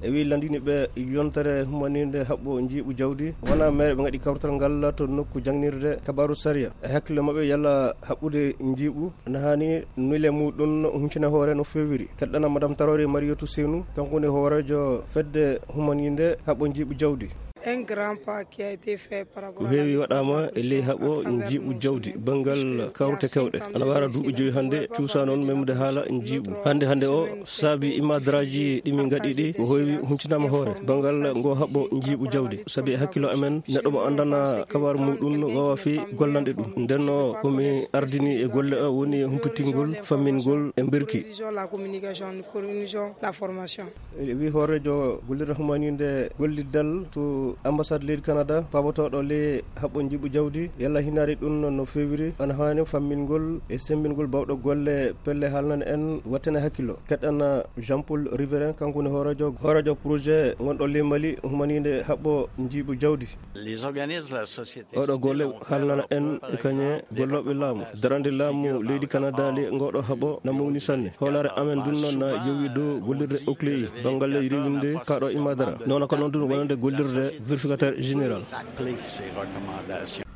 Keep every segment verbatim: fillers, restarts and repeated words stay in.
E wi lanndini ɓe yontere humaninde haɓɓo njiiɓu jawdi, wona meere ɓe ngaɗi kawrital ngal to nokku jangnirde kabaaru sariya. E hakkille maɓɓe yalla haɓɓude njiiɓu, na haani nule muɗum huncina hoore no feewiri. Keɗɗana Madame Tarore Mariyatu Senu, kanko woni hooreejo fedde humaninde haɓɓo njiiɓu jawdi. Un grand pas qui a été fait par rapport Ko à la heewi waɗaama e ley haɓo njiiɓu jawdi banngal kawrute kewɗe. Ana wara duuɓi joyi hannde, cuusa noon memde haala njiiɓu. Hannde hannde o saabi imadraji ɗi min ngaɗi ɗi, ko heewi huncinaama hoore banngal ngo haɓo njiiɓu jawdi. Sabi e hakkilo amen, neɗɗo mo anndana kabar muɗum wawa fi gollande ɗum. Nden o ko mi ardini e golle o woni humpitingol, fammingol e mbirki. Coordination, la communication, coordination, la formation. E wi hooreejo gollirde humaninde golliddal to ambassade leydi Canada, paabotooɗo le haɓɓo njiiɓu jawdi, yalla hinaari ɗum no feewiri, ana haani fammingol e semmbingol bawɗo golle pelle haalnane en wattane hakkilo. Keɗɗana Jean Paul Riverain, kanko woni hooreejo, hooreejo projet ngonɗo le Mali humaninde haɓɓo njiiɓu jawdi. Les organismes de la société Oɗo golle haalnana en e kañe gollooɓe laamu, darande laamu leydi Canada le ngoɗo haɓo na mawni sanne. Hoolaare amen ndun noon na yowi dow gollirde okleyi banngal ley rewinde kaɗo imadara. Noona ko noon ndun wonande gollirde vérificateur général.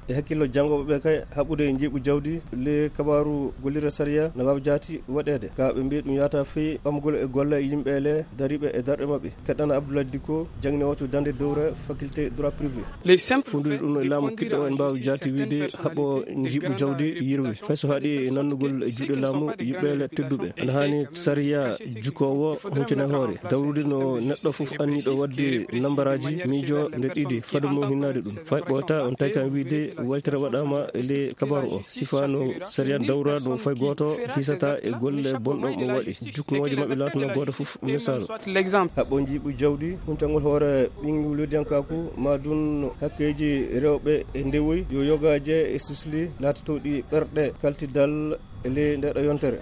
E hakkillo janngooɓe ɓe kay, haɓɓude njiiɓu jawdi le kabaaru gollirde sariya na waawi jaati waɗeede. Ka ɓe mbiyi ɗum yaata fii ɓamgol e golle yimɓe le dariiɓe e darɗe maɓɓe. Keɗɗana Abdoulaye Dicko, jangni o to Dande Dowra, faculté droit privé. Les simples Fundude ɗum e laamu kiɗɗo en mbaawi jaati wiide haɓɓo njiiɓu jawdi yirwi. Fay so haɗi e nannugol e juuɗe laamu yiɓɓeele tedduɓe. Ana haani sariya jukoowo huncine hoore. Dawrude no neɗɗo fof anniɗo waɗde nambaraaji miijo nde ɗiɗi fado mum hinnaade ɗum. Fay ɓoyta on tawi kan wiide waytere waɗaama e le kabaru o. Sifa no sariya dawra ɗum fay gooto hisata e golle bonɗo mo waɗi. Jukmooje maɓɓe laatano gooto fof misaalu. Soit l'exemple. Haɓɓo njiiɓu jawdi, huncangol hoore ɓinngol weddiyankaaku, ma dun hakkeeji rewɓe e ndewoy, yo yogaaje e susli laatotooɗi ɓerɗe kaltidal e ley ndeɗo yontere.